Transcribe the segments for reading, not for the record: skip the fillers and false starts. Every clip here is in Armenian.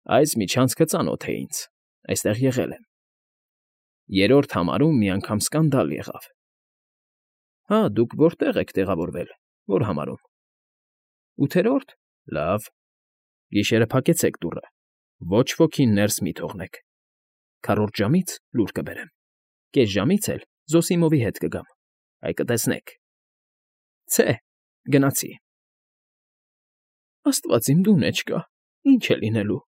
Այս միջանցքը ծանոթ է ինձ, այստեղ եղել եմ։ Երրորդ համարում մի անգամ սկանդալ եղավ։ Հա, դուք որտեղ եք տեղավորվել, որ համարում։ Ութերորդ։ Լավ։ Գիշերը փակեցեք դուռը, ոչ ոքին ներս մի թողնեք։ Քառորդ ժամից լուր կբերեմ, կես ժամից էլ Զոսիմովի հետ կգամ, այ կտեսնեք։ Ցե, գնացի։ Աստված իմ դու նեջկա, ինչ է լինելու,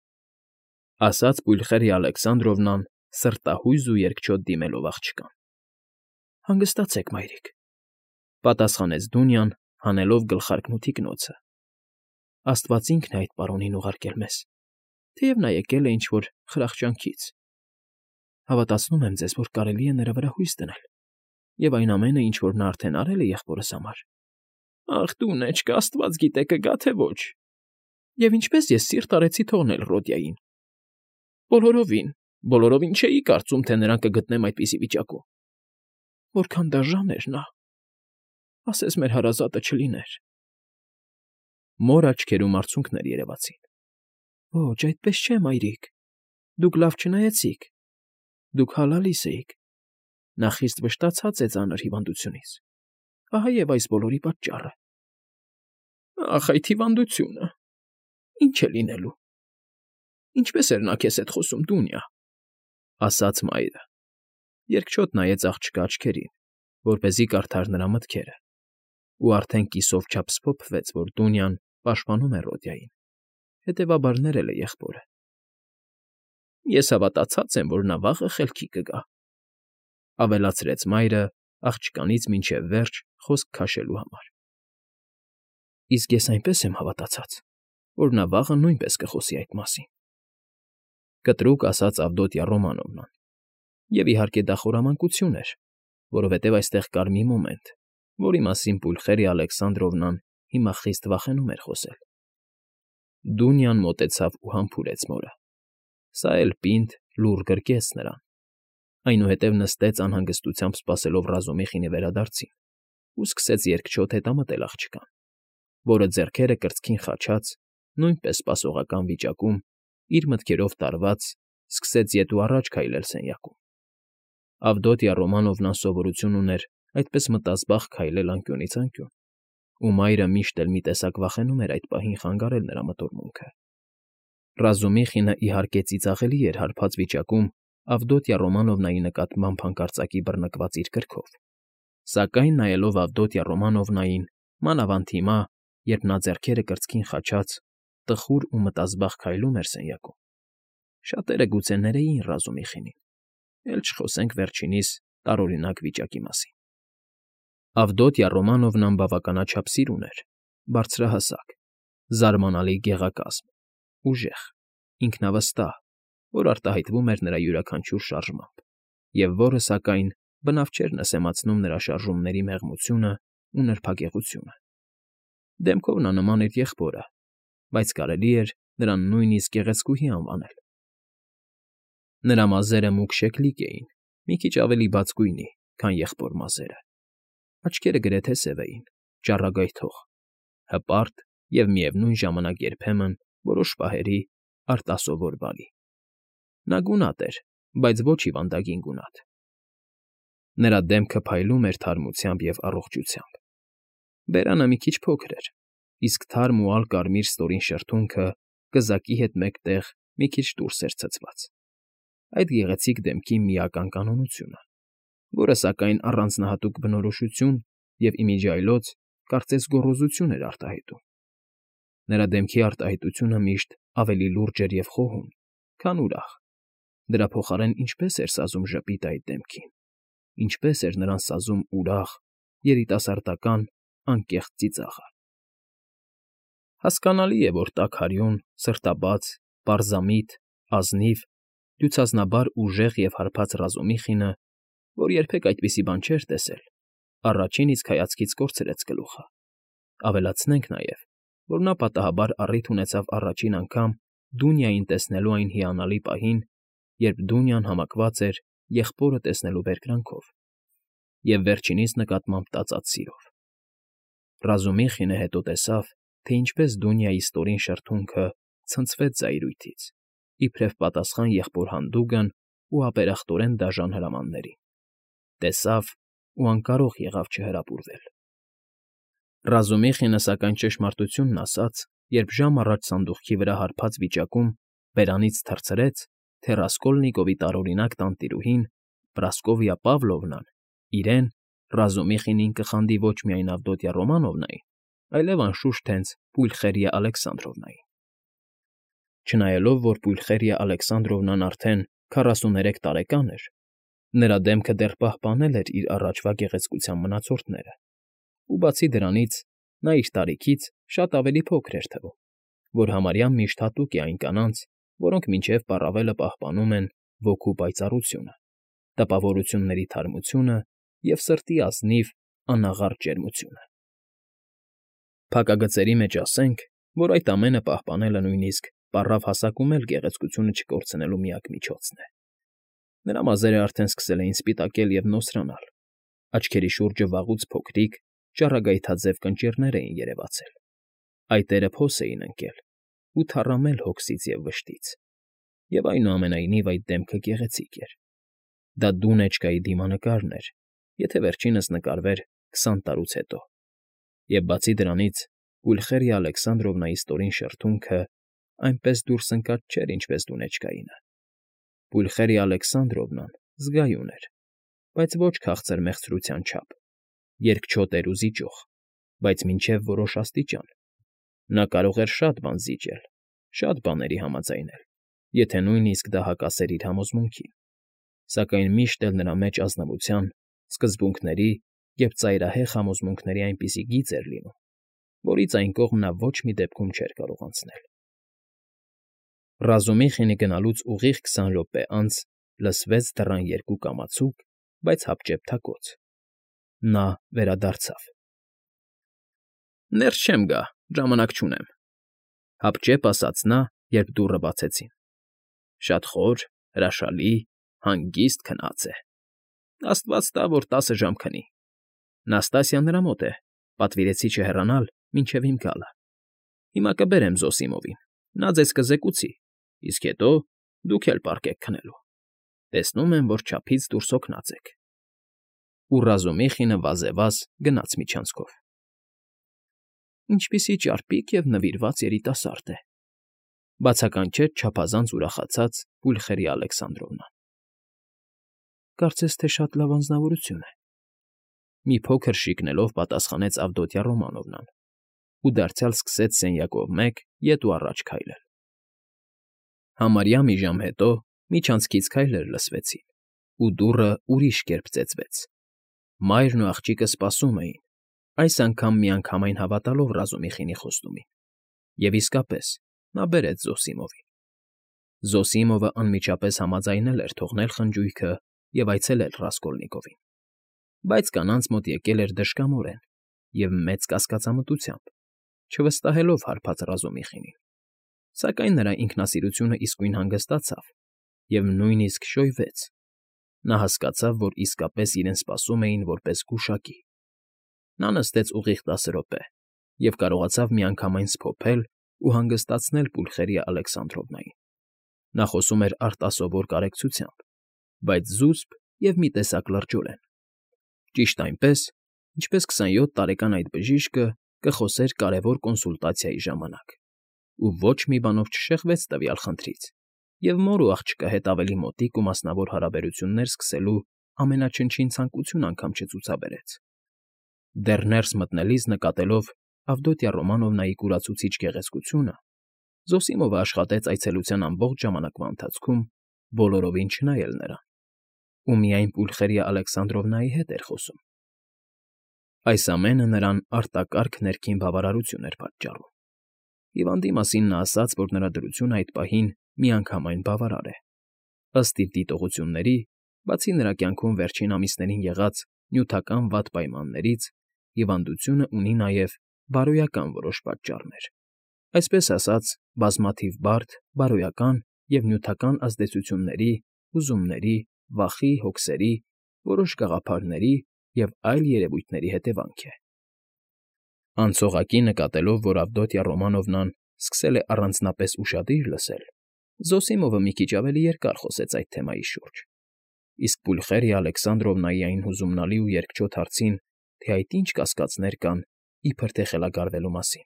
ասաց Պուլխերիա Ալեքսանդրովնան սրտահույզ ու երկչոտ դիմելով աղջկան։ Հանգստացեք, մայրիկ, պատասխանեց Դունյան, հանելով գլխարկն ու թիկնոցը։ Աստված ինքն է այդ պարոնին ուղարկել մեզ, թեև նա եկել է ինչ֊որ խրախճանքից։ Հավատացնում եմ ձեզ, որ կարելի է նրա վրա հույս դնել, և այն ամենը, ինչ որ նա արդեն արել է եղբորս համար։ Ախ, դու նեջկա, Աստված գիտե կգա, թե ոչ։ Եվ ինչպես ես սիրտ արեցի թողնել Ռոդյային։ Բոլորովին չէի կարծում, թե նրան կգտնեմ այդպիսի վիճակում։ Որքան դաժան էր նա։ Ասես մեր հարազատը չլիներ։ Մոր աչքերում արցունքներ երևացին։ Ոչ, այդպես չէ, մայրիկ։ Դուք լավ չնայեցիք։ Դուք հալալիս էիք։ Նա խիստ վշտացած է ծանր հիվանդությունից։ Ահա և այս բոլորի պատճառը։ Ախ, այդ հիվանդությունը։ Ինչ է լինելու։ Ինչպես էր նա քեզ հետ խոսում, Դունյա, ասաց մայրը։ Երկչոտ նայեց աղջկա աչքերին, որպեսզի կարդար նրա մտքերը, ու արդեն կիսով չափ սփոփվեց, որ Դունյան պաշտպանում է Ռոդյային, հետևաբար ներել է եղբորը։ Ես հավատացած եմ, որ նա վաղը խելքի կգա, ավելացրեց մայրը աղջկանից մինչև վերջ խոսք քաշելու համար։ Իսկ ես այնպես եմ հավատացած, որ նա վաղը նույնպես կխոսի այդ մասին, կտրուկ ասաց Ավդոտյա Ռոմանովնան, և իհարկե դա խորամանկություն էր, որովհետև այստեղ կար մի մոմենտ, որի մասին Պուլխերիա Ալեքսանդրովնան հիմա խիստ վախենում էր խոսել։ Դունյան մոտեցավ ու համբուրեց մորը։ Սա էլ պինդ լուռ գրկեց նրան, այնուհետև նստեց անհանգստությամբ սպասելով Ռազումիխինի վերադարձին ու սկսեց երկչոտ հետամտել աղջկան, որը ձեռքերը կրծքին խաչած, նույնպես սպասողական վիճակում, իր մտքերով տարված, սկսեց ետ ու առաջ քայլել սենյակում։ Ավդոտյա Ռոմանովնան սովորություն ուներ այդպես մտազբաղ քայլել անկյունից անկյուն, ու մայրը միշտ էլ մի տեսակ վախենում էր այդ պահին խանգարել նրա մտորմունքը։ Ռազումիխինը իհարկե ծիծաղելի էր հարբած վիճակում Ավդոտյա Ռոմանովնայի նկատմամբ հանկարծակի բռնկված իր կրքով, սակայն նայելով Ավդոտյա Ռոմանովնային, մանավանդ հիմա, երբ նա ձեռքերը կրծքին խաչած, տխուր ու մտազբաղ քայլում էր սենյակում, շատերը գուցե ներեին Ռազումիխինին, էլ չխոսենք վերջինիս տարօրինակ վիճակի մասին։ Ավդոտյա Ռոմանովնան բավականաչափ սիրուն էր, բարձրահասակ, զարմանալի գեղակազմ, ուժեղ, ինքնավստահ, որ արտահայտվում էր նրա յուրաքանչյուր շարժմամբ, և որը, սակայն, բնավ չէր նսեմացնում նրա շարժումների մեղմությունը ու նրբագեղությունը։ Դեմքով նա նման էր եղբորը, բայց կարելի էր նրան նույնիսկ գեղեցկուհի անվանել։ Նրա մազերը մուգ շեկլիկ էին, մի քիչ ավելի բաց գույնի, քան եղբոր մազերը։ Աչքերը գրեթե սև էին, ճառագայթող, հպարտ և միևնույն ժամանակ երբեմն, որոշ պահերի, արտասովոր բարի։ Նա գունատ էր, բայց ոչ հիվանդագին գունատ։ Նրա դեմքը փայլում էր թարմությամբ և առողջությամբ։ Բերանը մի քիչ փոքր էր, իսկ թարմ ու ալ֊կարմիր ստորին շրթունքը կզակի հետ մեկտեղ մի քիչ դուրս էր ցցված։ Այդ գեղեցիկ դեմքի միական կանոնությունը, որը, սակայն, առանձնահատուկ բնորոշություն և ի միջի այլոց, կարծես գոռոզություն էր արտահայտում։ Նրա դեմքի արտահայտությունը միշտ ավելի լուրջ էր և խոհուն, քան ուրախ։ Դրա փոխարեն ինչպես էր սազում ժպիտը այդ դեմքին, ինչպես էր նրան սազում ուրախ, երիտասարդական, անկեղծ ծիծաղը։ Հասկանալի է, որ տաքարյուն, սրտաբաց, պարզամիտ, ազնիվ, դյուցազնաբար ուժեղ և հարբած Ռազումիխինը, որ երբեք այդպիսի բան չէր տեսել, առաջին իսկ հայացքից կորցրեց գլուխը։ Ավելացնենք նաև, որ նա պատահաբար առիթ ունեցավ առաջին անգամ Դունյային տեսնելու այն հիանալի պահին, երբ Դունյան համակված էր եղբորը տեսնելու բերկրանքով և վերջինիս նկատմամբ տածած սիրով։ Ռազումիխինը հետո տեսավ, թե ինչպես Դունյայի ստորին շրթունքը ցնցվեց զայրույթից իբրև պատասխան եղբոր հանդուգն ու ապերախտորեն դաժան հրամաններին, տեսավ ու անկարող եղավ չհրապուրվել։ Ռազումիխինը, սակայն, ճշմարտությունն ասաց, երբ ժամ առաջ սանդուղքի վրա հարբած վիճակում բերանից թռցրեց, թե Ռասկոլնիկովի տարօրինակ տանտիրուհին Պրասկովիա Պավլովնան իրեն, Ռազումիխինին, կխանդի ոչ միայն Ավդոտյա Ռոմանովնային, այլև անշուշտ հենց Պուլխերիա Ալեքսանդրովնային։ Չնայելով, որ Պուլխերիա Ալեքսանդրովնան արդեն 43 տարեկան էր, նրա դեմքը դեռ պահպանել էր իր առաջվա գեղեցկության մնացորդները, ու բացի դրանից, նա իր տարիքից շատ ավելի փոքր էր թվում, որ համարյա միշտ հատուկ է այն կանանց, որոնք մինչև պառավելը պահպանում են ոգու պայծառությունը, տպավորությունների թարմությունը և սրտի ազնիվ, անաղարտ ջերմությունը։ Փակագծերի մեջ ասենք, որ այդ ամենը պահպանելը նույնիսկ պառավ հասակում էլ գեղեցկությունը չկորցնելու միակ միջոցն է։ Նրա մազերը արդեն սկսել էին սպիտակել և նոսրանալ, աչքերի շուրջը վաղուց փոքրիկ, ճառագայթաձև կնճիռներ էին երևացել, այտերը փոս էին ընկել ու թառամել հոգսից և վշտից, և այնուամենայնիվ այդ դեմքը գեղեցիկ էր։ Դա Դունեչկայի դիմանկարն էր, եթե վերջինս նկարվեր 20 տարուց հետո, և բացի դրանից Պուլխերիա Ալեքսանդրովնայի ստորին շրթունքը այնպես դուրս ընկած չէր, ինչպես Դունեչկայինը։ Պուլխերիա Ալեքսանդրովնան զգայուն էր, բայց ոչ քաղցր մեղցրության չափ, երկչոտ էր ու զիջող, բայց մինչև որոշ աստիճան։ Նա կարող էր շատ բան զիջել, շատ բաների համաձայնել, եթե նույնիսկ դա հակասեր իր համոզմունքին, սակայն միշտ էլ նրա մեջ ազնվության, սկզբունքների և ծայրահեղ համոզմունքների այնպիսի գիծ էր լինում, որից այն կողմ նա ոչ մի դեպքում չէր կարող անցնել։ Ռազումիխինի գնալուց ուղիղ 20 րոպե անց լսվեց դռան երկու կամացուկ, բայց հապճեպ թակոց։ Նա վերադարձավ։ Ներս չեմ գա, ժամանակ չունեմ, հապճեպ ասաց նա, երբ դուռը բացեցին։ Շատ խոր, հրաշալի, հանգիստ քնած է։ Աստված տա, որ 10 ժամ քնի։ Նաստասիան նրա մոտ է, պատվիրեցի չհեռանալ մինչև իմ գալը։ Հիմա կբերեմ Զոսիմովին, նա ձեզ կզեկուցի, իսկ հետո դուք էլ պառկեք քնելու։ Տեսնում եմ, որ չափից դուրս հոգնած եք։ Ու Ռազումիխինը վազեվազ գնաց միջանցքով։ Ինչպիսի ճարպիկ և նվիրված երիտասարդ է, բացականչեց չափազանց ուրախացած Պուլխերիա Ալեքսանդրովնան։ Կարծես թե շատ լավ անձնավորություն է, մի փոքր շիկնելով պատասխանեց Ավդոտյա Ռոմանովնան ու դարձյալ սկսեց սենյակով մեկ ետ ու առաջ քայլել։ Համարյա մի ժամ հետո միջանցքից քայլեր լսվեցին, ու դուռը ուրիշ կերպ ծեծվեց։ Մայրն ու աղջիկը սպասում էին, այս անգամ միանգամայն հավատալով Ռազումիխինի խոստումին, և իսկապես նա բերեց Զոսիմովին։ Զոսիմովը անմիջապես համաձայնել էր թողնել խնջույքը և այցելել Ռասկոլնիկովին, բայց կանանց մոտ եկել էր դժկամորեն և մեծ կասկածամտությամբ, չվստահելով հարբած Ռազումիխինին, սակայն նրա ինքնասիրությունը իսկույն հանգստացավ և նույնիսկ շոյվեց։ Նա հասկացավ, որ իսկապես իրեն սպասում էին որպես գուշակի։ Նա նստեց ուղիղ 10 րոպե և կարողացավ միանգամայն սփոփել ու հանգստացնել Պուլխերիա Ալեքսանդրովնային։ Նա խոսում էր արտասովոր կարեկցությամբ, բայց զուսպ և մի տեսակ լրջորեն։ Ճիշտ այնպես, ինչպես 27 տարեկան այդ բժիշկը կխոսեր կարևոր կոնսուլտացիայի ժամանակ, ու ոչ մի բանով չշեղվեց տվյալ խնդրից, և մոր ու աղջկա հետ ավելի մոտիկ ու մասնավոր հարաբերություններ սկսելու ամենաչնչին ցանկություն անգամ չցուցաբերեց։ Դեռ ներս մտնելիս նկատելով Ավդոտյա Ռոմանովնայի կուրացուցիչ գեղեցկությունը, Զոսիմովը աշխատեց այցելության ամբողջ ժամանակվա ընթացքում բոլորովին չնայել նրան, ու միայն Պուլխերիա Ալեքսանդրովնայի հետ էր խոսում։ Այս ամենը նրան արտակարգ ներքին բավարարություն էր պատճառում։ Հիվանդի մասին նա ասաց, որ նրա դրությունը այդ պահին միանգամայն բավարար է։ Ըստ իր դիտողությունների, բացի նրա կյանքում վերջին ամիսներին եղած նյութական վատ պայմաններից, հիվանդությունը ունի նաև բարոյական որոշ պատճառներ, այսպես ասած, բազմաթիվ բարդ, բարոյական և նյութական ազդեցությունների, հուզումների, վախի, հոգսերի, որոշ գաղափարների և այլ երևույթների հետևանք է։ Անցողակի նկատելով, որ Ավդոտյա Ռոմանովնան սկսել է առանձնապես ուշադիր լսել, Զոսիմովը մի քիչ ավելի երկար խոսեց այդ թեմայի շուրջ, իսկ Պուլխերիա Ալեքսանդրովնայի այն հուզումնալի ու երկչոտ հարցին, թե այդ ինչ կասկածներ կան, իբր թե խելագարվելու մասին։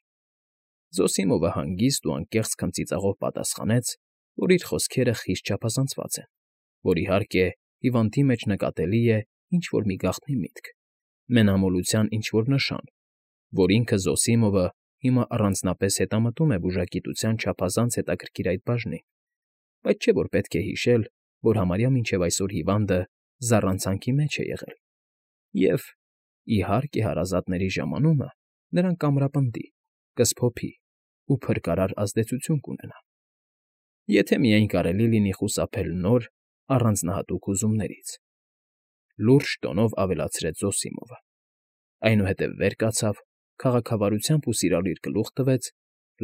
Զոսիմովը հանգիստ ու անկեղծ քմծիծաղով պատասխանեց, որ իր խոսքերը խիստ չափազանցված են, որ, իհարկե, հիվանդի մեջ նկատելի է ինչ֊որ մի գաղտնի միտք, մենամոլության ինչ֊որ նշան, որ ինքը Զոսիմովը հիմա առանձնապես հետամտում է բուժագիտության չափազանց հետաքրքիր այդ բաժնին, բայց չէ որ պետք է հիշել, որ համարյա մինչև այսօր հիվանդը զառանցանքի մեջ է եղել, և, իհարկե, հարազատների ժամանումը նրան կամրապնդի, կսփոփի ու փրկարար ազդեցություն կունենա։ Եթե միայն կարելի լինի խուսափել նոր, առանձնահատուկ հուզումներից, լուրջ տոնով ավելացրեց Զոսիմովը, այնուհետև վեր կացավ, քաղաքավարությամբ ու սիրալիր գլուխ տվեց,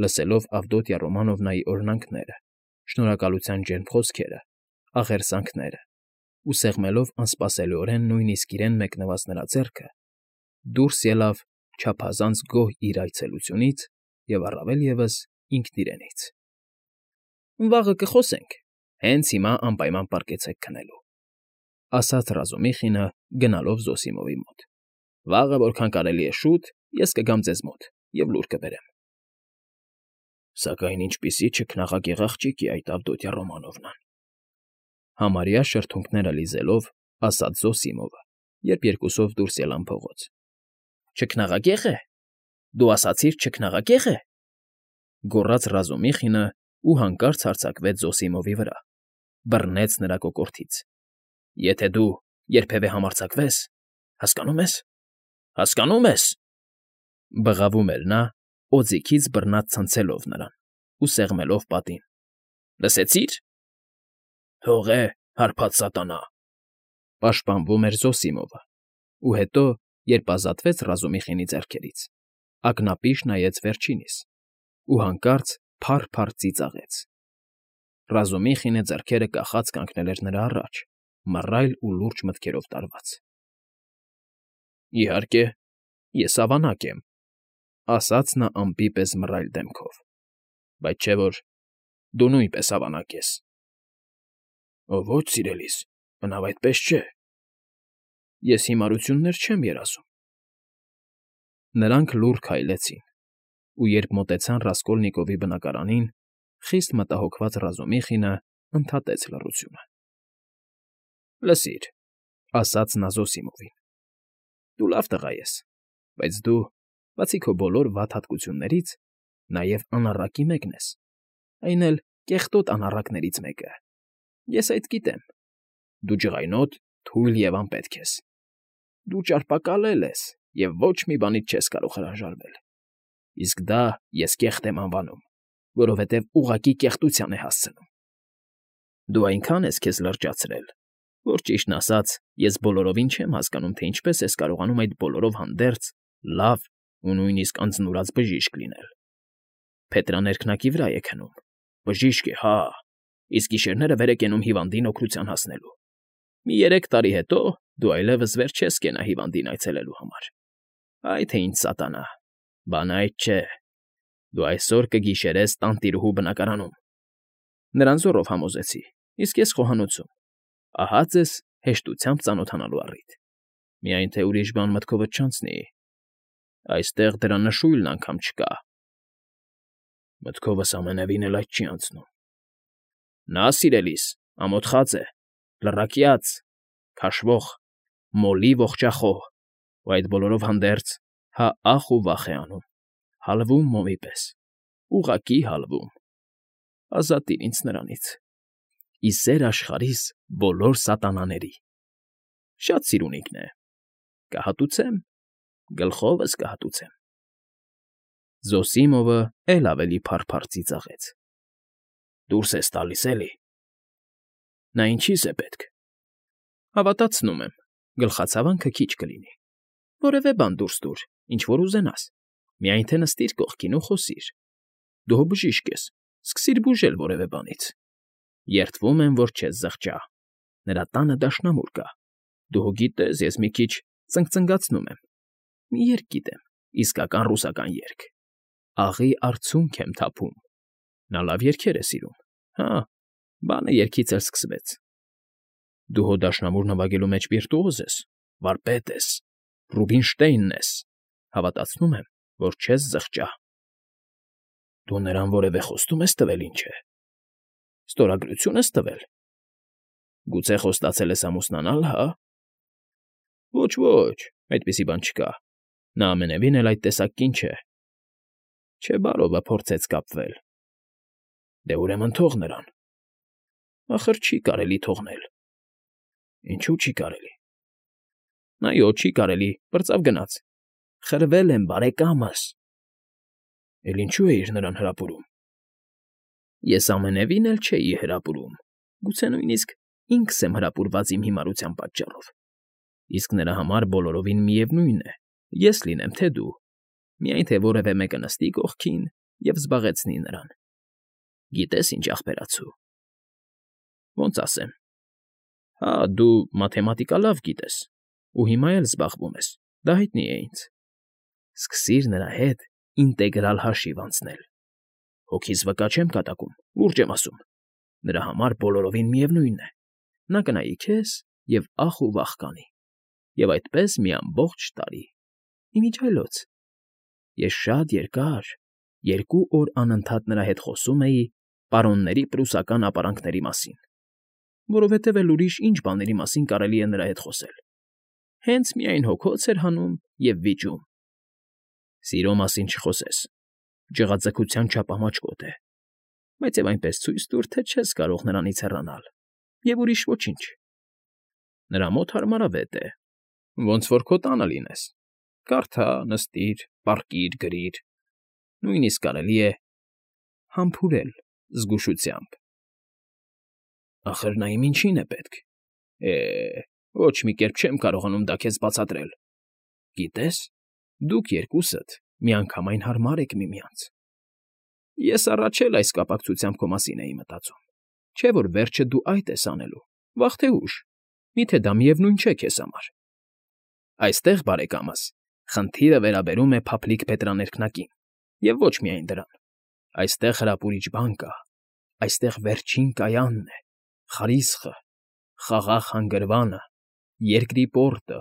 լսելով Ավդոտյա Ռոմանովնայի օրհնանքները, շնորհակալության ջերմ խոսքերը, աղերսանքները, ու սեղմելով անսպասելիորեն նույնիսկ իրեն մեկնված նրա ձեռքը, դուրս ելավ չափազանց գոհ իր այցելությունից և առավել ևս ինքն իրենից։ «Վաղը կխոսենք, հենց հիմա անպայման պառկեցեք քնելու», ֊ ասաց Ռազումիխինը, գնալով Զոսիմովի մոտ։ «Վաղը, որքան կարելի է շուտ, ես կգամ ձեզ մոտ և լուր կբերեմ»։ «Սակայն ինչպիսի չքնաղակեղ աղջիկ է այդ Ավդոտյա Ռոմանովնան», ֊ համարյա շրթունքները լիզելով, ասաց Զոսիմովը, երբ երկուսով դուրս ելան փողոց։ «Չքնաղակե՞ղ է։ Դու ասացիր չքնաղակե՞ղ է», ֊ գոռաց Ռազումիխինը ու հանկարծ հարձակվեց Զոսիմովի վրա, բռնեց նրա կոկորդից։ «Եթե դու երբևէ համարձակվես, հասկանո՞ւմ ես, հասկանո՞ւմ ես», ֊ բղավում էր նա, օձիքից բռնած ցնցելով նրան ու սեղմելով պատին։ «Լսեցի՞ր։ Թող է, հարբած սատանա», ֊ պաշտպանվում էր Զոսիմովը, ու հետո, երբ ազատվեց Ռազումիխինի ձեռքերից, ակնապիշ նայեց վերջինիս ու հանկարծ փառ֊փառ ծիծաղեց։ Ռազումիխինը ձեռքերը կախած կանգնել էր նրա առաջ, մռայլ ու լուրջ մտքերով տարված։ «Իհարկե, ես ավանակ եմ», ֊ ասաց նա ամպի պես մռայլ դեմքով, «բայց չէ որ դու նույնպես ավանակ ես»։ «Ո՛չ, սիրելիս, բնավ այդպես չէ։ Ես հիմարություններ չեմ երազում»։ Նրանք լուռ քայլեցին, ու երբ մոտեցան Ռասկոլնիկովի բնակարանին, խիստ մտահոգված Ռազումիխինը ընդհատեց լռությունը։ «Լսիր», ֊ ասաց նա Զոսիմովին, «դու լավ տղա ես, բայց դու, բացի քո բոլոր վատ հատկություններից, նաև անառակի մեկն ես, այն էլ կեղտոտ անառակներից մեկը։ Ես այդ գիտեմ։ Դու ջղայնոտ, թույլ և անպետք ես։ Դու ճարպակալել ես և ոչ մի բանից չես կարող հրաժարվել։ Իսկ դա ես կեղտ եմ անվանում, որովհետև ուղղակի կեղտության է հասցնում։ Դու այնքան ես քեզ լրջացրել, որ, ճիշտն ասած, ես բոլորովին չեմ հասկանում, թե ինչպես ես կարողանում այդ բոլորով հանդերձ, լավ ու նույնիսկ անձնուրաց բժիշկ լինել։ Փետրա ներքնակի վրա է քնում, բժիշկ է, հա, իսկ գիշերները վեր է կենում հիվանդին օգնության հասնելու։ Մի 3 տարի հետո դու այլևս վեր չես կենա հիվանդին այցելելու համար։ Այ թե ինչ սատանա, բանը այդ չէ։ Դու այսօր կգիշերես տանտիրուհու բնակարանում։ Նրան զոռով համոզեցի, իսկ ես խոհանոցում։ Ահա ձեզ հեշտությամբ ծանոթանալու առիթ։ Միայն թե ուրիշ բան մտքովդ չանցնի։ Այստեղ դրա նշույլն անգամ չկա։ Մտքովս ամենևին էլ այդ չի անցնում։ Նա, սիրելիս, ամոթխած է, լռակյաց, քաշվող, մոլի ողջախոհ, ու այդ բոլորով հանդերձ հա ախ ու վախ է անում, հալվում մոմի պես, ուղղակի հալվում։ Ազատիր ինձ նրանից։ Ի սեր աշխարհիս բոլոր սատանաների։ Շատ սիրունիկն է։ Կհատուցեմ, գլխովս կհատուցեմ։ Զոսիմովը էլ ավելի փառ-փառ ծիծաղեց։ Դուրս ես տալիս էլի։ Նա ինչի՞ս է պետք։ Հավատացնում եմ, գլխացավանքը քիչ կլինի։ Որևէ բան դուրս տուր, ինչ որ ուզենաս։ Միայն թե նստիր կողքին ու խոսիր։ Դու հո բժիշկ ես, սկսիր բուժել որևէ բանից։ Երդվում եմ, որ չես զղջա։ Նրա տանը դաշնամուր կա։ Դու հո գիտես, ես մի քիչ ծնկծնգացնում եմ։ Մի երգ գիտեմ, իսկական ռուսական երգ։ Աղի արցունք եմ թափում։ Նա լավ երգեր է սիրում։ Հա, Բանը երգից էլ սկսվեց. Դու հո դաշնամուր նվագելու մեջ վիրտուոզ ես, վարպետ ես, Ռուբինշտեյնն ես, հավատացնում եմ, որ չես զղջա։ Դու նրան որևէ խոստում ես տվել, ինչ է։ Ստորագրություն ես տվել։ Գուցե խոստացել ես ամուսնանալ, հա։ Ոչ, այդպիսի բան չկա։ Նա ամենևին էլ այդ տեսակ կին չէ։ Չէ, բարովը փորձեց կապվել։ Դե ուրեմն թող նրան։ Ախր չի կարելի թողնել։ Ինչու՞ չի կարելի։ Այո, չի կարելի, պրծավ գնաց։ Խրվել եմ, բարեկամս։ Էլ ինչու էիր նրան հրապուրում։ Ես ամենևին էլ չէի հրապուրում։ Գուցե նույնիսկ ինքս եմ հրապուրված իմ հիմարության պատճառով։ Իսկ նրա համար բոլորովին միևնույն է, ես լինեմ, թե դու, միայն թե որևէ մեկը նստի կողքին և զբաղեցնի նրան։ Գիտես ինչ ախպերացու։ Ոնց ասեմ։ Հա, դու մաթեմատիկա լավ գիտես, ու հիմա էլ զբաղվում ես, դա հայտնի է ինձ։ Սկսիր նրա հետ ինտեգրալ հաշիվ անցնել։ Հոգիս վկա չեմ կատակում, լուրջ եմ ասում։ Նրա համար բոլորովին միևնույն է։ Նա կնայի քեզ և ախ ու վախ կանի։ Եվ այդպես մի ամբողջ տարի։ Իմիջիայլոց։ Ես շատ երկար, 2 օր անընդհատ նրա հետ խոսում էի պարոնների պրուսական ապարանքների մասին, որովհետև էլ ուրիշ ինչ բաների մասին կարելի է նրա հետ խոսել։ Հենց միայն հոգոց էր հանում և վիճում։ Սիրո մասին չխոսես, ջղաձգության չափամաչկոտ է, բայց և այնպես ցույց տուր, թե չես կարող նրանից հեռանալ, և ուրիշ ոչինչ։ Նրա մոտ հարմարավետ է, ոնց որ քո տանը լինես, կարդա, նստիր, պառկիր, գրիր, նույնիսկ կարելի է համբուրել զգուշությամբ։ Ախր նա իմ ինչին է պետք։ Ոչ մի կերպ չեմ կարողանում դա քեզ բացատրել։ Գիտես, դուք երկուսդ միանգամայն հարմար եք միմյանց։ Ես առաջ էլ այս կապակցությամբ քո մասին էի մտածում, չէ՞ որ վերջը դու այդ ես անելու, վաղ թե ուշ, միթե դա միևնույն չէ քեզ համար։ Այստեղ, բարեկամս, խնդիրը վերաբերում է փափլիկ փետրաներկնակին, և ոչ միայն դրան։ Այստեղ հրապուրիչ բան կա, այստեղ վերջին կայանն է, խարիսխը, խաղաղ հանգրվանը, երկրի պորտը,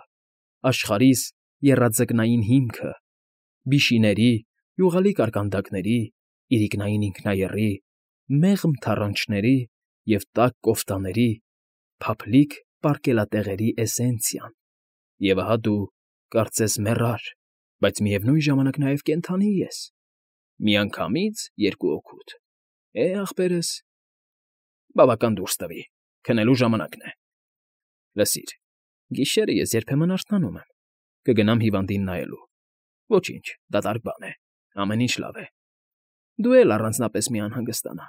աշխարհիս եռաձկնային հիմքը, բիշիների, յուղալի կարկանդակների, իրիկնային ինքնաեռի, մեղմ թառանչների և տաք կոֆտաների, փափլիկ պարկելատեղերի էսենցիան։ Եվ ահա դու, կարծես մեռար, բայց միևնույն ժամանակ նաև կենդանի ես։ Միանգամից 2 օգուտ։ Ախպերս, բավական դուրս տվի, քնելու ժամանակն է։ Լսիր, գիշերը ես երբեմն արթնանում եմ, կգնամ հիվանդին նայելու։ Ոչինչ, դատարկ բան է, ամեն ինչ լավ է։ Դու էլ առանձնապես մի անհանգստանա։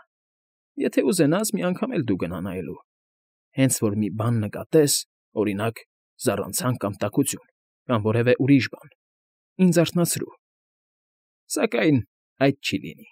Եթե ուզենաս, մի անգամ էլ դու գնա նայելու։ Հենց որ մի բան նկատես, օրինակ, զառանցանք կամ տաքություն, կամ որևէ ուրիշ բան, ինձ արթնացրու։ Սակայն այդ չի լինի։